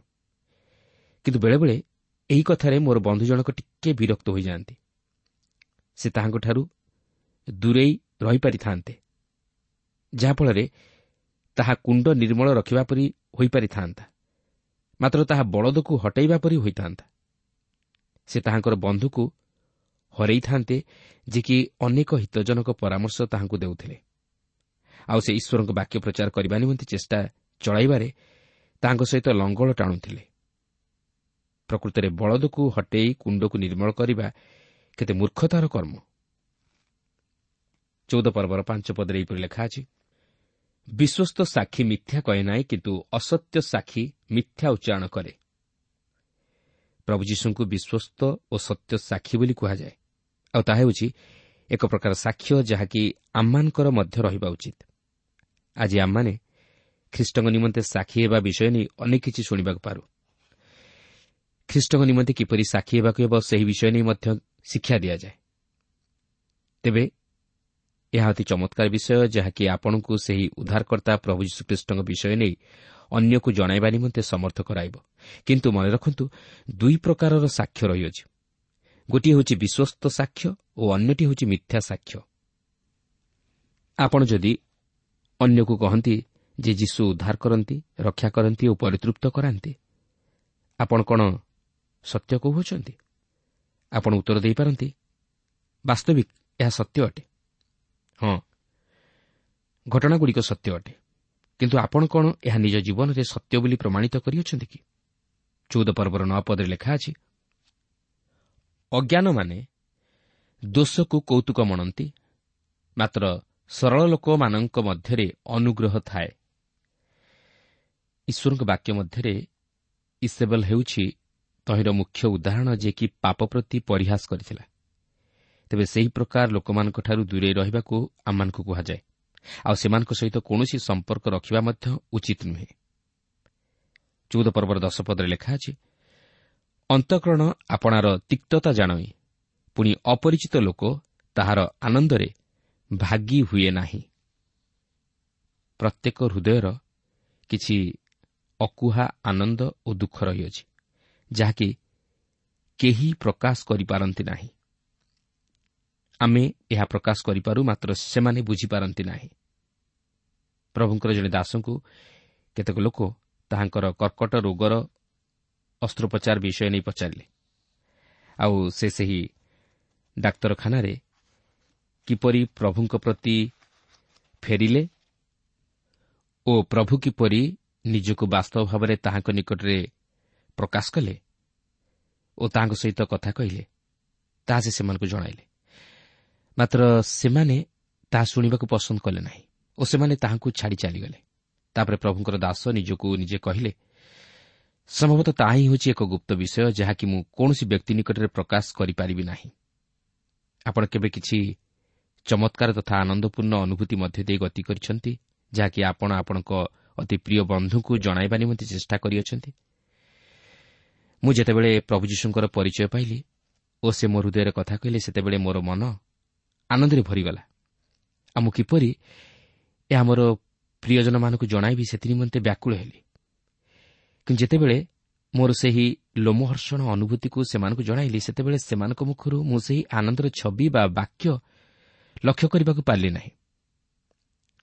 କିନ୍ତୁ ବେଳେବେଳେ ଏହି କଥାରେ ମୋର ବନ୍ଧୁ ଜଣକ ଟିକେ ବିରକ୍ତ ହୋଇଯାଆନ୍ତି। ସେ ତାହାଙ୍କଠାରୁ ଦୂରେଇ ରହିପାରିଥାନ୍ତେ, ଯାହାଫଳରେ ତାହା କୁଣ୍ଡ ନିର୍ମଳ ରଖିବା ପରି ହୋଇପାରିଥାନ୍ତା, ମାତ୍ର ତାହା ବଳଦକୁ ହଟାଇବା ପରି ହୋଇଥାନ୍ତା। ସେ ତାହାଙ୍କର ବନ୍ଧୁକୁ ହରେଇଥାନ୍ତେ, ଯେ କି ଅନେକ ହିତଜନକ ପରାମର୍ଶ ତାହାଙ୍କୁ ଦେଉଥିଲେ। ଆଉ ସେ ଈଶ୍ୱରଙ୍କ ବାକ୍ୟ ପ୍ରଚାର କରିବା ନିମନ୍ତେ ଚେଷ୍ଟା ଚଳାଇବାରେ ତାହାଙ୍କ ସହିତ ଲଙ୍ଗଳ ଟାଣୁଥିଲେ। ପ୍ରକୃତରେ ବଳଦକୁ ହଟେଇ କୁଣ୍ଡକୁ ନିର୍ମଳ କରିବା କେତେ ମୂର୍ଖତାର କର୍ମ। 14 ପର୍ବର 5 ପଦରେ ଏହିପରି ଲେଖା ଅଛି, ବିଶ୍ୱସ୍ତ ସାକ୍ଷୀ ମିଥ୍ୟା କହେ ନାହିଁ, କିନ୍ତୁ ଅସତ୍ୟ ସାକ୍ଷୀ ମିଥ୍ୟା ଉଚ୍ଚାରଣ କରେ। ପ୍ରଭୁ ଯୀଶୁଙ୍କୁ ବିଶ୍ୱସ୍ତ ଓ ସତ୍ୟ ସାକ୍ଷୀ ବୋଲି କୁହାଯାଏ, ଆଉ ତାହା ହେଉଛି ଏକ ପ୍ରକାର ସାକ୍ଷ୍ୟ ଯାହାକି ଆମମାନଙ୍କର ମଧ୍ୟ ରହିବା ଉଚିତ। ଆଜି ଆମମାନେ ଖ୍ରୀଷ୍ଟଙ୍କ ନିମନ୍ତେ ସାକ୍ଷୀ ହେବା ବିଷୟ ନେଇ ଅନେକ କିଛି ଶୁଣିବାକୁ ପାରୁ। ଖ୍ରୀଷ୍ଟଙ୍କ ନିମନ୍ତେ କିପରି ସାକ୍ଷୀ ହେବାକୁ ହେବ ସେହି ବିଷୟ ନେଇ ମଧ୍ୟ ଶିକ୍ଷା ଦିଆଯାଏ। ତେବେ ଏହା ଅତି ଚମତ୍କାର ବିଷୟ, ଯାହାକି ଆପଣଙ୍କୁ ସେହି ଉଦ୍ଧାରକର୍ତ୍ତା ପ୍ରଭୁ ଯୀଶୁଖ୍ରୀଷ୍ଟଙ୍କ ବିଷୟ ନେଇ ଅନ୍ୟକୁ ଜଣାଇବା ନିମନ୍ତେ ସମର୍ଥ କରାଇବ। କିନ୍ତୁ ମନେ ରଖନ୍ତୁ, 2 ପ୍ରକାରର ସାକ୍ଷ୍ୟ ରହିଅଛି। ଗୋଟିଏ ହେଉଛି ବିଶ୍ୱସ୍ତ ସାକ୍ଷ୍ୟ ଓ ଅନ୍ୟଟି ହେଉଛି ମିଥ୍ୟା ସାକ୍ଷ୍ୟ। ଆପଣ ଯଦି ଅନ୍ୟକୁ କହନ୍ତି ଯେ ଯୀଶୁ ଉଦ୍ଧାର କରନ୍ତି, ରକ୍ଷା କରନ୍ତି ଓ ପରିତୃପ୍ତ କରାନ୍ତି, ଆପଣ କ'ଣ ସତ୍ୟ କହୁଅଛନ୍ତି? ଆପଣ ଉତ୍ତର ଦେଇପାରନ୍ତି, ବାସ୍ତବିକ ଏହା ସତ୍ୟ ଅଟେ। ହଁ, ଘଟଣାଗୁଡ଼ିକ ସତ୍ୟ ଅଟେ, କିନ୍ତୁ ଆପଣ କ'ଣ ଏହା ନିଜ ଜୀବନରେ ସତ୍ୟ ବୋଲି ପ୍ରମାଣିତ କରିଅଛନ୍ତି କି? 14 ପର୍ବର 9 ପଦରେ ଲେଖା ଅଛି, ଅଜ୍ଞାନମାନେ ଦୋଷକୁ କୌତୁକ ମଣନ୍ତି, ମାତ୍ର ସରଳ ଲୋକମାନଙ୍କ ମଧ୍ୟରେ ଅନୁଗ୍ରହ ଥାଏ। ଈଶ୍ୱରଙ୍କ ବାକ୍ୟ ମଧ୍ୟରେ ଇସେବଲ ହେଉଛି ତହିଁର ମୁଖ୍ୟ ଉଦାହରଣ, ଯିଏକି ପାପ ପ୍ରତି ପରିହାସ କରିଥିଲା। ତେବେ ସେହି ପ୍ରକାର ଲୋକମାନଙ୍କଠାରୁ ଦୂରେଇ ରହିବାକୁ ଆମମାନଙ୍କୁ କୁହାଯାଏ, ଆଉ ସେମାନଙ୍କ ସହିତ କୌଣସି ସମ୍ପର୍କ ରଖିବା ମଧ୍ୟ ଉଚିତ ନୁହେଁ। 14 ପର୍ବର 10 ପଦରେ ଲେଖା ଅଛି, ଅନ୍ତଃକରଣ ଆପଣାର ତିକ୍ତତା ଜାଣଇ, ପୁଣି ଅପରିଚିତ ଲୋକ ତାହାର ଆନନ୍ଦରେ ଭାଗି ହୁଏ ନାହିଁ। ପ୍ରତ୍ୟେକ ହୃଦୟର କିଛି ଅକୁହା ଆନନ୍ଦ ଓ ଦୁଃଖ ରହିଅଛି, ଯାହାକି କେହି ପ୍ରକାଶ କରିପାରନ୍ତି ନାହିଁ। ଆମେ ଏହା ପ୍ରକାଶ କରିପାରୁ, ମାତ୍ର ସେମାନେ ବୁଝିପାରନ୍ତି ନାହିଁ। ପ୍ରଭୁଙ୍କର ଜଣେ ଦାସଙ୍କୁ କେତେକ ଲୋକ ତାହାଙ୍କର କର୍କଟ ରୋଗର ଅସ୍ତ୍ରୋପଚାର ବିଷୟ ନେଇ ପଚାରିଲେ, ଆଉ ସେ ସେହି ଡାକ୍ତରଖାନାରେ କିପରି ପ୍ରଭୁଙ୍କ ପ୍ରତି ଫେରିଲେ ଓ ପ୍ରଭୁ କିପରି ନିଜକୁ ବାସ୍ତବ ଭାବରେ ତାହାଙ୍କ ନିକଟରେ ପ୍ରକାଶ କଲେ ଓ ତାହାଙ୍କ ସହିତ କଥା କହିଲେ, ତାହା ସେ ସେମାନଙ୍କୁ ଜଣାଇଲେ। ମାତ୍ର ସେମାନେ ତାହା ଶୁଣିବାକୁ ପସନ୍ଦ କଲେ ନାହିଁ ଓ ସେମାନେ ତାହାଙ୍କୁ ଛାଡ଼ି ଚାଲିଗଲେ। ତାପରେ ପ୍ରଭୁଙ୍କର ଦାସ ନିଜକୁ ନିଜେ କହିଲେ, ସମ୍ଭବତଃ ତାହା ହିଁ ହେଉଛି ଏକ ଗୁପ୍ତ ବିଷୟ, ଯାହାକି ମୁଁ କୌଣସି ବ୍ୟକ୍ତି ନିକଟରେ ପ୍ରକାଶ କରିପାରିବି ନାହିଁ। ଆପଣ କେବେ କିଛି ଚମତ୍କାର ତଥା ଆନନ୍ଦପୂର୍ଣ୍ଣ ଅନୁଭୂତି ମଧ୍ୟ ଦେଇ ଗତି କରିଛନ୍ତି, ଯାହାକି ଆପଣ ଆପଣଙ୍କ ଅତି ପ୍ରିୟ ବନ୍ଧୁଙ୍କୁ ଜଣାଇବା ନିମନ୍ତେ ଚେଷ୍ଟା କରିଅଛନ୍ତି? ମୁଁ ଯେତେବେଳେ ପ୍ରଭୁ ଯୀଶୁଙ୍କର ପରିଚୟ ପାଇଲି ଓ ସେ ମୋ ହୃଦୟରେ କଥା କହିଲେ, ସେତେବେଳେ ମୋର ମନ ଆନନ୍ଦରେ ଭରିଗଲା। ଆଉ ମୁଁ କିପରି ଏହା ମୋର ପ୍ରିୟଜନମାନଙ୍କୁ ଜଣାଇବି ସେଥିନିମନ୍ତେ ବ୍ୟାକୁଳ ହେଲି। କିନ୍ତୁ ଯେତେବେଳେ ମୋର ସେହି ଲୋମହର୍ଷଣ ଅନୁଭୂତିକୁ ସେମାନଙ୍କୁ ଜଣାଇଲି, ସେତେବେଳେ ସେମାନଙ୍କ ମୁଖରୁ ମୁଁ ସେହି ଆନନ୍ଦର ଛବି ବା ବାକ୍ୟ ଲକ୍ଷ୍ୟ କରିବାକୁ ପାରିଲି ନାହିଁ।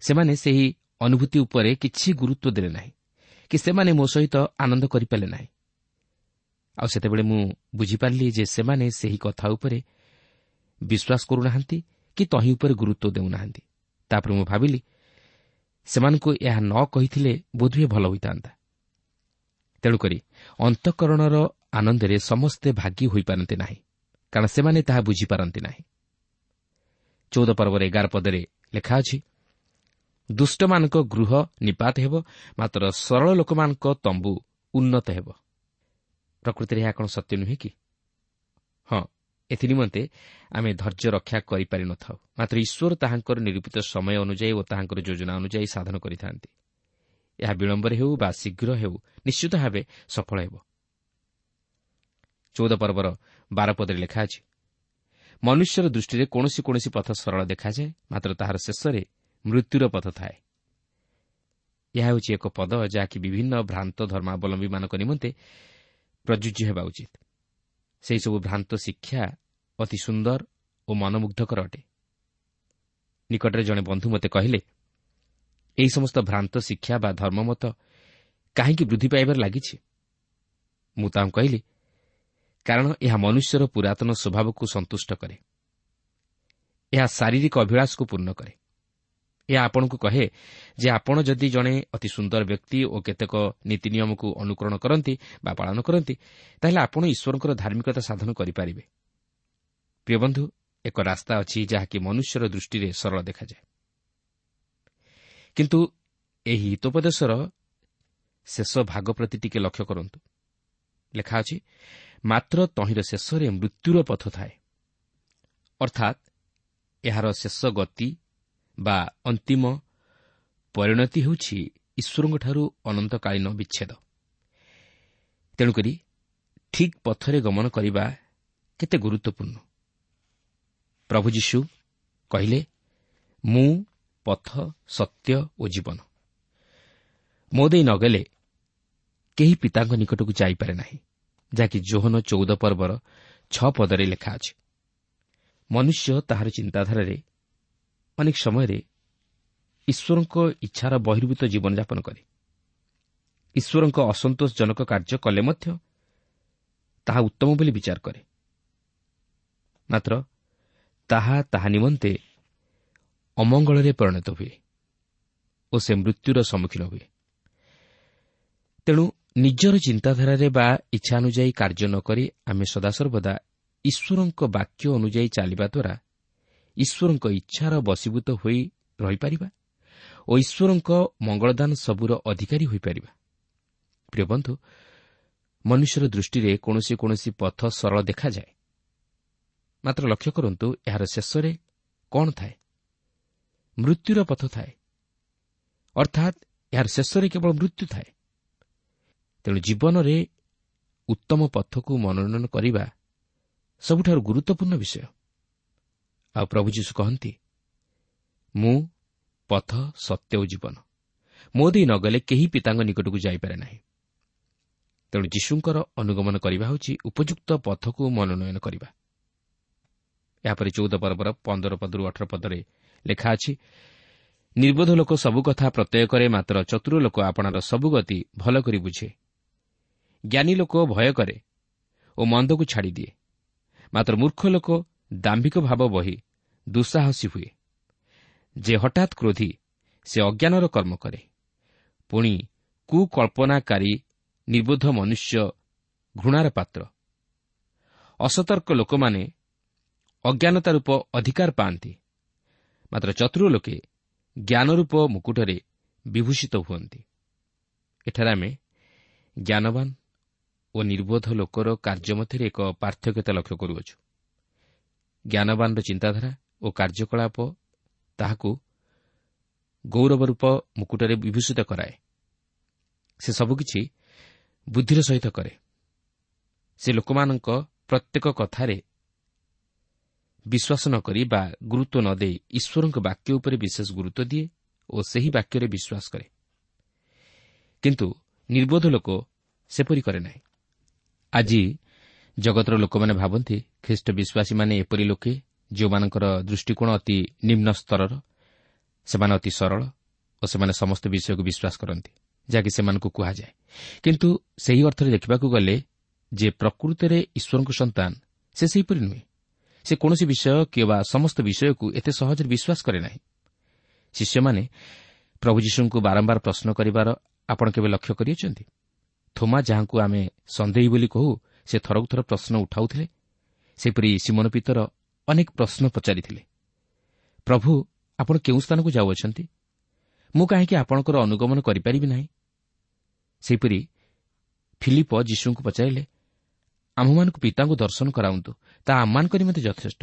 ସେମାନେ ସେହି ଅନୁଭୂତି ଉପରେ କିଛି ଗୁରୁତ୍ୱ ଦେଲେ ନାହିଁ କି ସେମାନେ ମୋ ସହିତ ଆନନ୍ଦ କରିପାରିଲେ ନାହିଁ। ଆଉ ସେତେବେଳେ ମୁଁ ବୁଝିପାରିଲି ଯେ ସେମାନେ ସେହି କଥା ଉପରେ ବିଶ୍ୱାସ କରୁନାହାନ୍ତି କି ତହିଁ ଉପରେ ଗୁରୁତ୍ୱ ଦେଉନାହାନ୍ତି। ତାପରେ ମୁଁ ଭାବିଲି, ସେମାନଙ୍କୁ ଏହା ନ କହିଥିଲେ ବୋଧହୁଏ ଭଲ ହୋଇଥାନ୍ତା। ତେଣୁକରି ଅନ୍ତଃକରଣର ଆନନ୍ଦରେ ସମସ୍ତେ ଭାଗୀ ହୋଇପାରନ୍ତି ନାହିଁ, କାରଣ ସେମାନେ ତାହା ବୁଝିପାରନ୍ତି ନାହିଁ। 14 ପର୍ବର 11 ପଦରେ ଲେଖା ଅଛି, ଦୁଷ୍ଟମାନଙ୍କ ଗୃହ ନିପାତ ହେବ, ମାତ୍ର ସରଳ ଲୋକମାନଙ୍କ ତମ୍ବୁ ଉନ୍ନତ ହେବ। ପ୍ରକୃତିରେ ଏହା କ'ଣ ସତ୍ୟ ନୁହେଁ କି? ହଁ, ଏଥିନିମନ୍ତେ ଆମେ ଧୈର୍ଯ୍ୟ ରକ୍ଷା କରିପାରିନଥାଉ, ମାତ୍ର ଈଶ୍ୱର ତାହାଙ୍କର ନିରୂପିତ ସମୟ ଅନୁଯାୟୀ ଓ ତାହାଙ୍କର ଯୋଜନା ଅନୁଯାୟୀ ସାଧନ କରିଥାନ୍ତି। ଏହା ବିଳମ୍ବରେ ହେଉ ବା ଶୀଘ୍ର ହେଉ, ନିଶ୍ଚିତ ଭାବେ ସଫଳ ହେବ। 14 ପର୍ବର 12 ପଦରେ ଲେଖା ଅଛି, ମନୁଷ୍ୟର ଦୃଷ୍ଟିରେ କୌଣସି କୌଣସି ପଥ ସରଳ ଦେଖାଯାଏ, ମାତ୍ର ତାହାର ଶେଷରେ ମୃତ୍ୟୁର ପଥ ଥାଏ। ଏହା ହେଉଛି ଏକ ପଦ ଯାହାକି ବିଭିନ୍ନ ଭ୍ରାନ୍ତ ଧର୍ମାବଲମ୍ବୀମାନଙ୍କ ନିମନ୍ତେ ପ୍ରଯୁଜ୍ୟ ହେବା ଉଚିତ। ସେହିସବୁ ଭ୍ରାନ୍ତ ଶିକ୍ଷା ଅତି ସୁନ୍ଦର ଓ ମନମୁଗ୍ଧକର ଅଟେ। ନିକଟରେ ଜଣେ ବନ୍ଧୁ ମୋତେ କହିଲେ, ଏହି ସମସ୍ତ ଭ୍ରାନ୍ତ ଶିକ୍ଷା ବା ଧର୍ମମତ କାହିଁକି ବୃଦ୍ଧି ପାଇବାରେ ଲାଗିଛି? ମୁଁ ତାଙ୍କୁ କହିଲି, କାରଣ ଏହା ମନୁଷ୍ୟର ପୁରାତନ ସ୍ୱଭାବକୁ ସନ୍ତୁଷ୍ଟ କରେ। ଏହା ଶାରୀରିକ ଅଭିଳାଷକୁ ପୂର୍ଣ୍ଣ କରେ। ଏହା ଆପଣଙ୍କୁ କହେ ଯେ ଆପଣ ଯଦି ଜଣେ ଅତି ସୁନ୍ଦର ବ୍ୟକ୍ତି ଓ କେତେକ ନୀତି ନିୟମକୁ ଅନୁକରଣ କରନ୍ତି ବା ପାଳନ କରନ୍ତି, ତାହେଲେ ଆପଣ ଈଶ୍ୱରଙ୍କର ଧାର୍ମିକତା ସାଧନ କରିପାରିବେ। ପ୍ରିୟ ବନ୍ଧୁ, ଏକ ରାସ୍ତା ଅଛି ଯାହାକି ମନୁଷ୍ୟର ଦୃଷ୍ଟିରେ ସରଳ ଦେଖାଯାଏ, କିନ୍ତୁ ଏହି ହିତୋପଦେଶର ଶେଷ ଭାଗ ପ୍ରତି ଟିକେ ଲକ୍ଷ୍ୟ କରନ୍ତୁ। ଲେଖା ଅଛି, ମାତ୍ର ତହିଁର ଶେଷରେ ମୃତ୍ୟୁର ପଥ ଥାଏ। ଅର୍ଥାତ୍ ଏହାର ଶେଷ ଗତି ବା ଅନ୍ତିମ ପରିଣତି ହେଉଛି ଈଶ୍ୱରଙ୍କଠାରୁ ଅନନ୍ତକାଳୀନ ବିଚ୍ଛେଦ। ତେଣୁକରି ଠିକ୍ ପଥରେ ଗମନ କରିବା କେତେ ଗୁରୁତ୍ୱପୂର୍ଣ୍ଣ। ପ୍ରଭୁ ଯୀଶୁ କହିଲେ, ମୁଁ ପଥ, ସତ୍ୟ ଓ ଜୀବନ। ମୋ ଦେଇ ନ ଗଲେ କେହି ପିତାଙ୍କ ନିକଟକୁ ଯାଇପାରେ ନାହିଁ, ଯାହାକି ଯୋହନ 14 ପର୍ବର 6 ପଦରେ ଲେଖା ଅଛି। ମନୁଷ୍ୟ ତାହାର ଚିନ୍ତାଧାରାରେ ଅନେକ ସମୟରେ ଈଶ୍ୱରଙ୍କ ଇଚ୍ଛାର ବହିର୍ଭୂତ ଜୀବନଯାପନ କରେ। ଈଶ୍ୱରଙ୍କ ଅସନ୍ତୋଷଜନକ କାର୍ଯ୍ୟ କଲେ ମଧ୍ୟ ତାହା ଉତ୍ତମ ବୋଲି ବିଚାର କରେ, ମାତ୍ର ତାହା ତାହା ନିମନ୍ତେ ଅମଙ୍ଗଳରେ ପରିଣତ ହୁଏ ଓ ସେ ମୃତ୍ୟୁର ସମ୍ମୁଖୀନ ହୁଏ। ତେଣୁ ନିଜର ଚିନ୍ତାଧାରାରେ ବା ଇଚ୍ଛା ଅନୁଯାୟୀ କାର୍ଯ୍ୟ ନ କରି ଆମେ ସଦାସର୍ବଦା ଈଶ୍ୱରଙ୍କ ବାକ୍ୟ ଅନୁଯାୟୀ ଚାଲିବା ଦ୍ୱାରା ଈଶ୍ୱରଙ୍କ ଇଚ୍ଛାର ବଶୀଭୂତ ହୋଇ ରହିପାରିବା ଓ ଈଶ୍ୱରଙ୍କ ମଙ୍ଗଳଦାନ ସବୁର ଅଧିକାରୀ ହୋଇପାରିବା। ପ୍ରିୟ ବନ୍ଧୁ, ମନୁଷ୍ୟର ଦୃଷ୍ଟିରେ କୌଣସି କୌଣସି ପଥ ସରଳ ଦେଖାଯାଏ, ମାତ୍ର ଲକ୍ଷ୍ୟ କରନ୍ତୁ ଏହାର ଶେଷରେ କ'ଣ ଥାଏ? ମୃତ୍ୟୁର ପଥ ଥାଏ, ଅର୍ଥାତ୍ ଏହାର ଶେଷରେ କେବଳ ମୃତ୍ୟୁ ଥାଏ। ତେଣୁ ଜୀବନରେ ଉତ୍ତମ ପଥକୁ ମନୋନୟନ କରିବା ସବୁଠାରୁ ଗୁରୁତ୍ୱପୂର୍ଣ୍ଣ ବିଷୟ। ଆଉ ପ୍ରଭୁ ଯୀଶୁ କହନ୍ତି, ମୁଁ ପଥ, ସତ୍ୟ ଓ ଜୀବନ, ମୋ ଦେଇ ନ ଗଲେ କେହି ପିତାଙ୍କ ନିକଟକୁ ଯାଇପାରେ ନାହିଁ। ତେଣୁ ଯୀଶୁଙ୍କର ଅନୁଗମନ କରିବା ହେଉଛି ଉପଯୁକ୍ତ ପଥକୁ ମନୋନୟନ କରିବା। ଏହାପରେ 14 ପର୍ବର 15 ପଦରୁ 18 ପଦରେ ଲେଖା ଅଛି, ନିର୍ବୋଧ ଲୋକ ସବୁ କଥା ପ୍ରତ୍ୟୟ କରେ, ମାତ୍ର ଚତୁର ଲୋକ ଆପଣାର ସବୁ ଗତି ଭଲ କରି ବୁଝେ। ଜ୍ଞାନୀ ଲୋକ ଭୟ କରେ ଓ ମନ୍ଦକୁ ଛାଡ଼ିଦିଏ, ମାତ୍ର ମୂର୍ଖ ଲୋକ ଦାମ୍ଭିକ ଭାବ ବହି ଦୁଃସାହସୀ ହୁଏ। ଯେ ହଠାତ୍ କ୍ରୋଧୀ ସେ ଅଜ୍ଞାନର କର୍ମ କରେ, ପୁଣି କୁକଳ୍ପନାକାରୀ ନିର୍ବୋଧ ମନୁଷ୍ୟ ଘୃଣାର ପାତ୍ର। ଅସତର୍କ ଲୋକମାନେ ଅଜ୍ଞାନତା ରୂପ ଅଧିକାର ପାଆନ୍ତି, ମାତ୍ର ଚତୁର ଲୋକେ ଜ୍ଞାନରୂପ ମୁକୁଟରେ ବିଭୂଷିତ ହୁଅନ୍ତି। ଏଠାରେ ଆମେ ଜ୍ଞାନବାନ ଓ ନିର୍ବୋଧ ଲୋକର କାର୍ଯ୍ୟ ମଧ୍ୟରେ ଏକ ପାର୍ଥକ୍ୟତା ଲକ୍ଷ୍ୟ କରୁଅଛୁ। ଜ୍ଞାନବାନର ଚିନ୍ତାଧାରା ଓ କାର୍ଯ୍ୟକଳାପ ତାହାକୁ ଗୌରବରୂପ ମୁକୁଟରେ ବିଭୂଷିତ କରାଏ। ସେ ସବୁକିଛି ବୁଦ୍ଧିର ସହିତ କରେ। ସେ ଲୋକମାନଙ୍କ ପ୍ରତ୍ୟେକ କଥାରେ ବିଶ୍ୱାସ ନ କରି ବା ଗୁରୁତ୍ୱ ନ ଦେଇ ଈଶ୍ୱରଙ୍କ ବାକ୍ୟ ଉପରେ ବିଶେଷ ଗୁରୁତ୍ୱ ଦିଏ ଓ ସେହି ବାକ୍ୟରେ ବିଶ୍ୱାସ କରେ। କିନ୍ତୁ ନିର୍ବୋଧ ଲୋକ ସେପରି କରେ ନାହିଁ। ଆଜି ଜଗତର ଲୋକମାନେ ଭାବନ୍ତି ଖ୍ରୀଷ୍ଟ ବିଶ୍ୱାସୀମାନେ ଏପରି ଲୋକେ ଯେଉଁମାନଙ୍କର ଦୃଷ୍ଟିକୋଣ ଅତି ନିମ୍ନ ସ୍ତରର, ସେମାନେ ଅତି ସରଳ ଓ ସେମାନେ ସମସ୍ତ ବିଷୟକୁ ବିଶ୍ୱାସ କରନ୍ତି ଯାହାକି ସେମାନଙ୍କୁ କୁହାଯାଏ। କିନ୍ତୁ ସେହି ଅର୍ଥରେ ଦେଖିବାକୁ ଗଲେ ଯେ ପ୍ରକୃତରେ ଈଶ୍ୱରଙ୍କ ସନ୍ତାନ ସେ ସେହିପରି ନୁହେଁ। ସେ କୌଣସି ବିଷୟ କିମ୍ବା ସମସ୍ତ ବିଷୟକୁ ଏତେ ସହଜରେ ବିଶ୍ୱାସ କରେ ନାହିଁ। ଶିଷ୍ୟମାନେ ପ୍ରଭୁ ଯୀଶୁଙ୍କୁ ବାରମ୍ବାର ପ୍ରଶ୍ନ କରିବାର ଆପଣ କେବେ ଲକ୍ଷ୍ୟ କରିଅଛନ୍ତି? ଥୋମା, ଯାହାଙ୍କୁ ଆମେ ସନ୍ଦେହୀ ବୋଲି କହୁ, ସେ ଥରକୁ ଥର ପ୍ରଶ୍ନ ଉଠାଉଥିଲେ। ସେପରି ସିମୋନ ପିତର ଅନେକ ପ୍ରଶ୍ନ ପଚାରିଥିଲେ। ପ୍ରଭୁ, ଆପଣ କେଉଁ ସ୍ଥାନକୁ ଯାଉଅଛନ୍ତି? ମୁଁ କାହିଁକି ଆପଣଙ୍କର ଅନୁଗମନ କରିପାରିବି ନାହିଁ? ସେହିପରି ଫିଲିପ ଯୀଶୁଙ୍କୁ ପଚାରିଲେ, ଆମ୍ଭମାନଙ୍କୁ ପିତାଙ୍କୁ ଦର୍ଶନ କରାନ୍ତୁ, ତାହା ଆମମାନଙ୍କ ନିମନ୍ତେ ଯଥେଷ୍ଟ।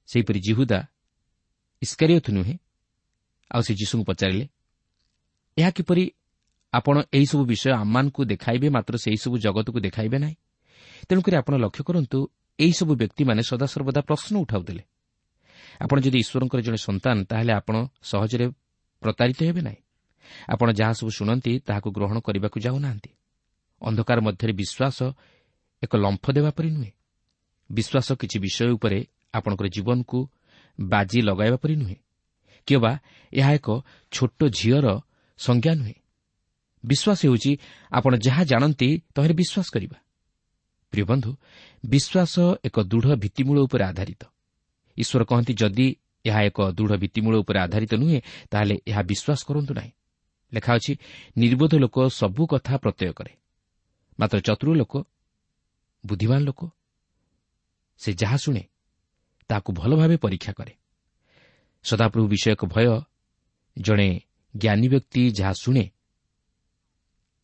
ସେହିପରି ଯିହୁଦା ଇସ୍କାରିୟତ ନୁହେଁ, ଆଉ ସେ ଯୀଶୁଙ୍କୁ ପଚାରିଲେ, ଏହା କିପରି ଆପଣ ଏହିସବୁ ବିଷୟ ଆମମାନଙ୍କୁ ଦେଖାଇବେ, ମାତ୍ର ସେହିସବୁ ଜଗତକୁ ଦେଖାଇବେ ନାହିଁ? ତେଣୁକରି ଆପଣ ଲକ୍ଷ୍ୟ କରନ୍ତୁ, ଏହିସବୁ ବ୍ୟକ୍ତିମାନେ ସଦାସର୍ବଦା ପ୍ରଶ୍ନ ଉଠାଉଥିଲେ। ଆପଣ ଯଦି ଈଶ୍ୱରଙ୍କର ଜଣେ ସନ୍ତାନ, ତାହେଲେ ଆପଣ ସହଜରେ ପ୍ରତାରିତ ହେବେ ନାହିଁ। ଆପଣ ଯାହା ସବୁ ଶୁଣନ୍ତି ତାହାକୁ ଗ୍ରହଣ କରିବାକୁ ଯାଉନାହାନ୍ତି। ଅନ୍ଧକାର ମଧ୍ୟରେ ବିଶ୍ୱାସ ଏକ ଲମ୍ଫ ଦେବା ପରି ନୁହେଁ। ବିଶ୍ୱାସ କିଛି ବିଷୟ ଉପରେ ଆପଣଙ୍କର ଜୀବନକୁ ବାଜି ଲଗାଇବା ପରି ନୁହେଁ, କିମ୍ବା ଏହା ଏକ ଛୋଟ ଝିଅର ସଂଜ୍ଞା ନୁହେଁ। ବିଶ୍ୱାସ ହେଉଛି ଆପଣ ଯାହା ଜାଣନ୍ତି ତହିଁରେ ବିଶ୍ୱାସ କରିବା। ପ୍ରିୟ ବନ୍ଧୁ, ବିଶ୍ୱାସ ଏକ ଦୃଢ଼ ଭିତ୍ତିମୂଳ ଉପରେ ଆଧାରିତ। ଈଶ୍ୱର କହନ୍ତି, ଯଦି ଏହା ଏକ ଦୃଢ଼ ଭିତ୍ତିମୂଳ ଉପରେ ଆଧାରିତ ନୁହେଁ, ତାହେଲେ ଏହା ବିଶ୍ୱାସ କରନ୍ତୁ ନାହିଁ। ଲେଖା ଅଛି, ନିର୍ବୋଧ ଲୋକ ସବୁ କଥା ପ୍ରତ୍ୟୟ କରେ, ମାତ୍ର ଚତୁର ଲୋକ, ବୁଦ୍ଧିମାନ ଲୋକ, ସେ ଯାହା ଶୁଣେ ତାହାକୁ ଭଲ ଭାବେ ପରୀକ୍ଷା କରେ। ସଦାପ୍ରଭୁ ବିଷୟକ ଭୟ ଜଣେ ଜ୍ଞାନୀ ବ୍ୟକ୍ତି ଯାହା ଶୁଣେ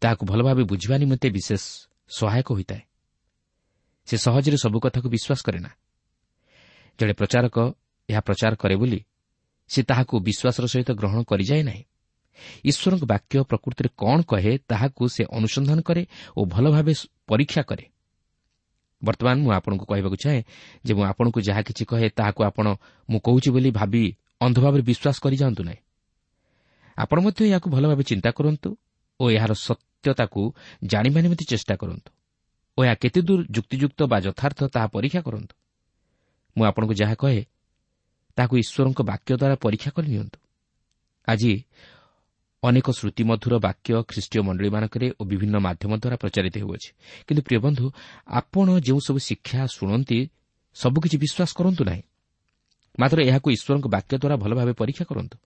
ତାହାକୁ ଭଲ ଭାବେ ବୁଝିବା ନିମନ୍ତେ ବିଶେଷ ସହାୟକ ହୋଇଥାଏ। ସେ ସହଜରେ ସବୁ କଥାକୁ ବିଶ୍ୱାସ କରେ ନା। ଜଣେ ପ୍ରଚାରକ ଏହା ପ୍ରଚାର କରେ ବୋଲି ସେ ତାହାକୁ ବିଶ୍ୱାସର ସହିତ ଗ୍ରହଣ କରିଯାଏ ନାହିଁ। ଈଶ୍ୱରଙ୍କ ବାକ୍ୟ ପ୍ରକୃତିରେ କ'ଣ କହେ ତାହାକୁ ସେ ଅନୁସନ୍ଧାନ କରେ ଓ ଭଲ ଭାବେ ପରୀକ୍ଷା କରେ। ବର୍ତ୍ତମାନ ମୁଁ ଆପଣଙ୍କୁ କହିବାକୁ ଚାହେଁ ଯେ ମୁଁ ଆପଣଙ୍କୁ ଯାହା କିଛି କହେ ତାହାକୁ ଆପଣ ମୁଁ କହୁଛି ବୋଲି ଭାବି ଅନ୍ଧ ଭାବରେ ବିଶ୍ୱାସ କରିଯାଆନ୍ତୁ ନାହିଁ। ଆପଣ ମଧ୍ୟ ଏହାକୁ ଭଲ ଭାବେ ଚିନ୍ତା କରନ୍ତୁ ଓ ଏହାର ସତ୍ୟତାକୁ ଜାଣିବା ନିମନ୍ତେ ଚେଷ୍ଟା କରନ୍ତୁ ଓ ଏହା କେତେ ଦୂର ଯୁକ୍ତିଯୁକ୍ତ ବା ଯଥାର୍ଥ ତାହା ପରୀକ୍ଷା କରନ୍ତୁ। ମୁଁ ଆପଣଙ୍କୁ ଯାହା କହେ ତାହାକୁ ଈଶ୍ୱରଙ୍କ ବାକ୍ୟ ଦ୍ୱାରା ପରୀକ୍ଷା କରିନିଅନ୍ତୁ। ଆଜି ଅନେକ ଶ୍ରୁତିମଧୁର ବାକ୍ୟ ଖ୍ରୀଷ୍ଟୀୟ ମଣ୍ଡଳୀମାନଙ୍କରେ ଓ ବିଭିନ୍ନ ମାଧ୍ୟମ ଦ୍ୱାରା ପ୍ରଚାରିତ ହେଉଅଛି। କିନ୍ତୁ ପ୍ରିୟ ବନ୍ଧୁ, ଆପଣ ଯେଉଁସବୁ ଶିକ୍ଷା ଶୁଣନ୍ତି ସବୁକିଛି ବିଶ୍ୱାସ କରନ୍ତୁ ନାହିଁ, ମାତ୍ର ଏହାକୁ ଈଶ୍ୱରଙ୍କ ବାକ୍ୟ ଦ୍ୱାରା ଭଲ ଭାବେ ପରୀକ୍ଷା କରନ୍ତୁ।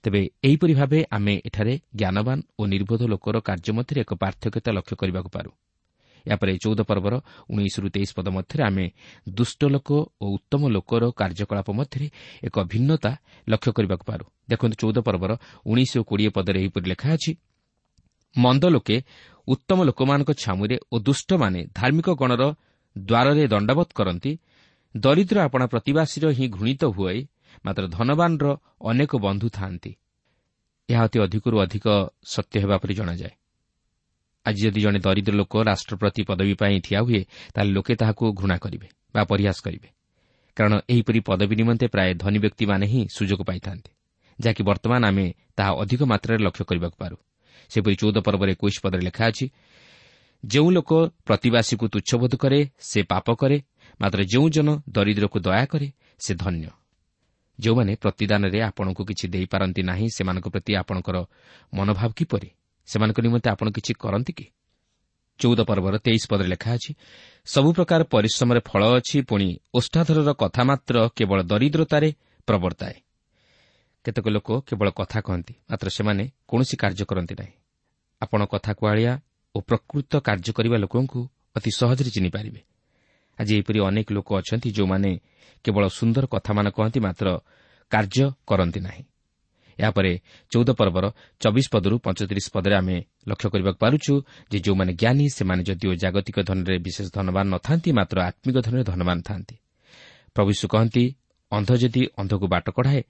ତେବେ ଏହିପରି ଭାବେ ଆମେ ଏଠାରେ ଜ୍ଞାନବାନ ଓ ନିର୍ବୋଧ ଲୋକର କାର୍ଯ୍ୟ ମଧ୍ୟରେ ଏକ ପାର୍ଥକ୍ୟତା ଲକ୍ଷ୍ୟ କରିବାକୁ ପାରୁ। ଏହାପରେ 14 ପର୍ବର 19ରୁ 23 ପଦ ମଧ୍ୟରେ ଆମେ ଦୁଷ୍ଟ ଲୋକ ଓ ଉତ୍ତମ ଲୋକର କାର୍ଯ୍ୟକଳାପ ମଧ୍ୟରେ ଏକ ଭିନ୍ନତା ଲକ୍ଷ୍ୟ କରିବାକୁ ପାରୁ। ଦେଖନ୍ତୁ 14 ପର୍ବର 19 ଓ 20 ପଦରେ ଏହିପରି ଲେଖା ଅଛି, ମନ୍ଦ ଲୋକେ ଉତ୍ତମ ଲୋକମାନଙ୍କ ଛାମୁରେ ଓ ଦୁଷ୍ଟମାନେ ଧାର୍ମିକ ଗଣର ଦ୍ୱାରରେ ଦଣ୍ଡବତ କରନ୍ତି। ଦରିଦ୍ର ଆପଣା ପ୍ରତିବାସୀର ହିଁ ଘୃଣିତ ହୁଏ, ମାତ୍ର ଧନବାନର ଅନେକ ବନ୍ଧୁ ଥାଆନ୍ତି। ଏହା ଅତି ଅଧିକରୁ ଅଧିକ ସତ୍ୟ ହେବା ପରି ଜଣାଯାଏ। ଆଜି ଯଦି ଜଣେ ଦରିଦ୍ର ଲୋକ ରାଷ୍ଟ୍ରପତି ପଦବୀ ପାଇଁ ଠିଆ ହୁଏ, ତାହେଲେ ଲୋକେ ତାହାକୁ ଘୃଣା କରିବେ ବା ପରିହାସ କରିବେ, କାରଣ ଏହିପରି ପଦବୀ ନିମନ୍ତେ ପ୍ରାୟ ଧନୀ ବ୍ୟକ୍ତିମାନେ ହିଁ ସୁଯୋଗ ପାଇଥାନ୍ତି, ଯାହାକି ବର୍ତ୍ତମାନ ଆମେ ତାହା ଅଧିକ ମାତ୍ରାରେ ଲକ୍ଷ୍ୟ କରିବାକୁ ପାରୁ। ସେପରି 14 ପର୍ବରେ 21 ପଦରେ ଲେଖା ଅଛି, ଯେଉଁ ଲୋକ ପ୍ରତିବାସୀକୁ ତୁଚ୍ଛବୋଧ କରେ ସେ ପାପ କରେ, ମାତ୍ର ଯେଉଁ ଜନ ଦରିଦ୍ରକୁ ଦୟା କରେ ସେ ଧନ୍ୟ। ଯେଉଁମାନେ ପ୍ରତିଦାନରେ ଆପଣଙ୍କୁ କିଛି ଦେଇପାରନ୍ତି ନାହିଁ, ସେମାନଙ୍କ ପ୍ରତି ଆପଣଙ୍କର ମନୋଭାବ କିପରି? ସେମାନଙ୍କ ନିମନ୍ତେ ଆପଣ କିଛି କରନ୍ତି କି? 14 ପର୍ବର 23 ପଦରେ ଲେଖା ଅଛି, ସବୁ ପ୍ରକାର ପରିଶ୍ରମରେ ଫଳ ଅଛି, ପୁଣି ଓଷ୍ଠାଧରର କଥା ମାତ୍ର କେବଳ ଦରିଦ୍ରତାରେ ପ୍ରବର୍ତ୍ତାଏ। କେତେକ ଲୋକ କେବଳ କଥା କହନ୍ତି, ମାତ୍ର ସେମାନେ କୌଣସି କାର୍ଯ୍ୟ କରନ୍ତି ନାହିଁ। ଆପଣ କଥା କୁହାଳିଆ ଓ ପ୍ରକୃତ କାର୍ଯ୍ୟ କରିବା ଲୋକଙ୍କୁ ଅତି ସହଜରେ ଚିହ୍ନିପାରିବେ। ଆଜି ଏହିପରି ଅନେକ ଲୋକ ଅଛନ୍ତି ଯେଉଁମାନେ କେବଳ ସୁନ୍ଦର କଥାମାନ କହନ୍ତି, ମାତ୍ର କାର୍ଯ୍ୟ କରନ୍ତି ନାହିଁ। ଏହାପରେ 14 ପର୍ବର 24 ପଦରୁ 35 ପଦରେ ଆମେ ଲକ୍ଷ୍ୟ କରିବାକୁ ପାରୁଛୁ ଯେ ଯେଉଁମାନେ ଜ୍ଞାନୀ, ସେମାନେ ଯଦିଓ ଜାଗତିକ ଧନରେ ବିଶେଷ ଧନବାନ ନଥାନ୍ତି, ମାତ୍ର ଆତ୍ମିକ ଧନରେ ଧନବାନ ଥାନ୍ତି। ପ୍ରଭୁ ଯୀଶୁ କହନ୍ତି, ଅନ୍ଧ ଯଦି ଅନ୍ଧକୁ ବାଟ କଢ଼ାଏ,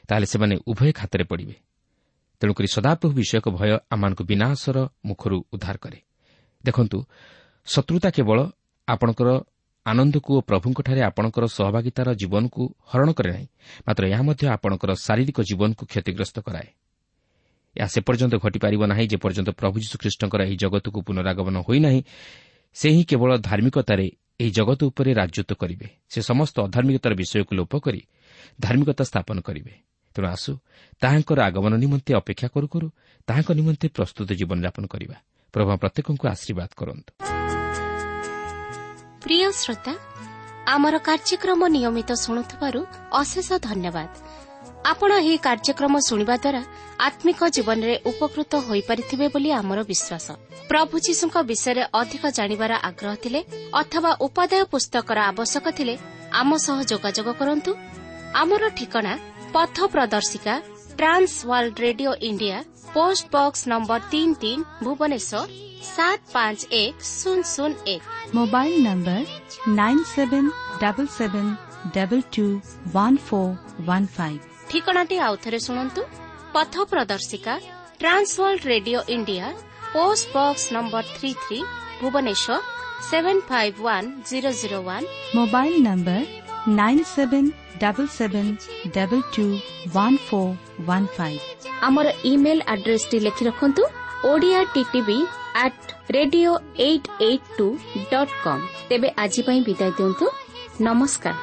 ତାହେଲେ ସେମାନେ ଉଭୟ ଖାତରେ ପଡ଼ିବେ। ତେଣୁକରି ସଦାପ୍ରଭୁ ବିଷୟକ ଭୟ ଆମମାନଙ୍କୁ ବିନାଶର ମୁଖରୁ ଉଦ୍ଧାର କରେ। ଦେଖନ୍ତୁ, ଶତ୍ରୁତା କେବଳ ଆପଣଙ୍କର ଆନନ୍ଦକୁ ଓ ପ୍ରଭୁଙ୍କଠାରେ ଆପଣଙ୍କର ସହଭାଗିତାର ଜୀବନକୁ ହରଣ କରେ ନାହିଁ, ମାତ୍ର ଏହା ମଧ୍ୟ ଆପଣଙ୍କର ଶାରୀରିକ ଜୀବନକୁ କ୍ଷତିଗ୍ରସ୍ତ କରାଏ। ଏହା ସେ ପର୍ଯ୍ୟନ୍ତ ଘଟିପାରିବ ନାହିଁ ଯେପର୍ଯ୍ୟନ୍ତ ପ୍ରଭୁ ଯୀଶୁଖ୍ରୀଷ୍ଟଙ୍କର ଏହି ଜଗତକୁ ପୁନରାଗମନ ହୋଇନାହିଁ। ସେ ହିଁ କେବଳ ଧାର୍ମିକତାରେ ଏହି ଜଗତ ଉପରେ ରାଜତ୍ୱ କରିବେ। ସେ ସମସ୍ତ ଅଧାର୍ମିକତାର ବିଷୟକୁ ଲୋପ କରି ଧାର୍ମିକତା ସ୍ଥାପନ କରିବେ। ତେଣୁ ଆସୁ ତାହାଙ୍କର ଆଗମନ ନିମନ୍ତେ ଅପେକ୍ଷା କରୁ କରୁ ତାହାଙ୍କ ନିମନ୍ତେ ପ୍ରସ୍ତୁତ ଜୀବନଯାପନ କରିବା। ପ୍ରଭୁ ପ୍ରତ୍ୟେକଙ୍କୁ ଆଶୀର୍ବାଦ କରନ୍ତୁ। ପ୍ରିୟ ଶ୍ରୋତା, ଆମର କାର୍ଯ୍ୟକ୍ରମ ନିୟମିତ ଶୁଣୁଥିବାରୁ ଅଶେଷ ଧନ୍ୟବାଦ। ଆପଣ ଏହି କାର୍ଯ୍ୟକ୍ରମ ଶୁଣିବା ଦ୍ୱାରା ଆତ୍ମିକ ଜୀବନରେ ଉପକୃତ ହୋଇପାରିଥିବେ ବୋଲି ଆମର ବିଶ୍ୱାସ। ପ୍ରଭୁ ଯୀଶୁଙ୍କ ବିଷୟରେ ଅଧିକ ଜାଣିବାର ଆଗ୍ରହ ଥିଲେ ଅଥବା ଉପାଦେୟ ପୁସ୍ତକର ଆବଶ୍ୟକ ଥିଲେ ଆମ ସହ ଯୋଗାଯୋଗ କରନ୍ତୁ। ଆମର ଠିକଣା ପଥ ପ୍ରଦର୍ଶିକା, Trans World Radio India, post box number 33, Bhubaneswar 751001। Mobile number 9777221415। ଠିକଣାଟି ଆଉଥରେ ଶୁଣନ୍ତୁ। ପଥ ପ୍ରଦର୍ଶିକା, Trans World Radio India, post box number 33, Bhubaneswar 751001। Mobile number 9777221415। ଆମର ଇମେଲ୍ ଆଡ୍ରେସଟି ଲେଖି ରଖନ୍ତୁ, Odia TTV @radio882.com। ତେବେ ଆଜି ପାଇଁ ବିଦାୟ ଦିଅନ୍ତୁ। ନମସ୍କାର।